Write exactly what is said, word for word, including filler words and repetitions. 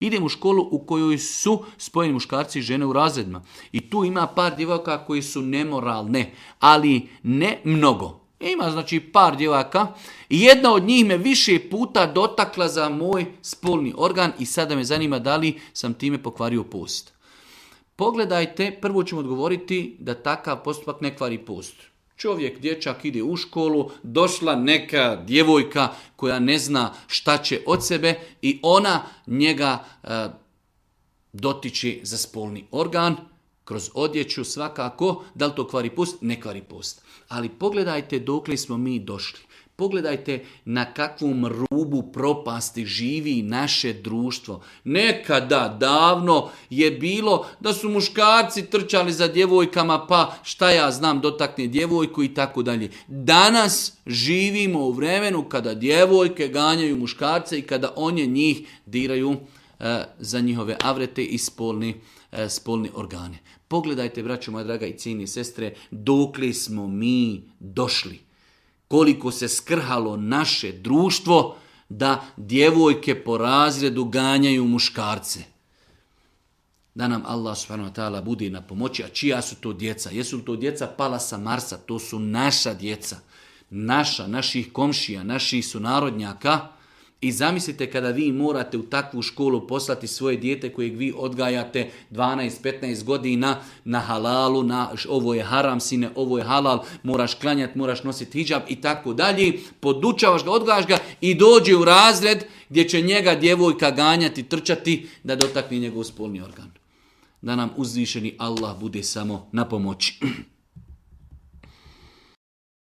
Idem u školu u kojoj su spojeni muškarci i žene u razredima. I tu ima par djevojaka koji su nemoralne, ali ne mnogo. Ima znači par djevojaka i jedna od njih me više puta dotakla za moj spolni organ i sada me zanima da li sam time pokvario post. Pogledajte, prvo ćemo odgovoriti da takav postupak ne kvari post. Čovjek, dječak ide u školu, došla neka djevojka koja ne zna šta će od sebe i ona njega e, dotiče za spolni organ, kroz odjeću svakako, da li to kvari post? Ne kvari post. Ali pogledajte dokle smo mi došli. Pogledajte na kakvom rubu propasti živi naše društvo. Nekada, davno je bilo da su muškarci trčali za djevojkama, pa šta ja znam, dotakne djevojku i tako dalje. Danas živimo u vremenu kada djevojke ganjaju muškarce i kada oni njih diraju e, za njihove avrete i spolni, e, spolni organe. Pogledajte, braćo moja draga i cijene sestre, dokle smo mi došli. Koliko se skrhalo naše društvo da djevojke po razredu ganjaju muškarce. Da nam Allah subhanahu wa ta'ala bude na pomoći. A čija su to djeca? Jesu li to djeca pala sa Marsa? To su naša djeca. Naša, naših komšija, naših sunarodnjaka. I zamislite kada vi morate u takvu školu poslati svoje dijete kojeg vi odgajate dvanaest petnaest godina na halalu, na ovo je haram sine, ovo je halal, moraš klanjati, moraš nositi hidžab i tako dalje. Podučavaš ga, odgajaš ga i dođe u razred gdje će njega djevojka ganjati, trčati da dotakne njegov spolni organ. Da nam uzvišeni Allah bude samo na pomoći.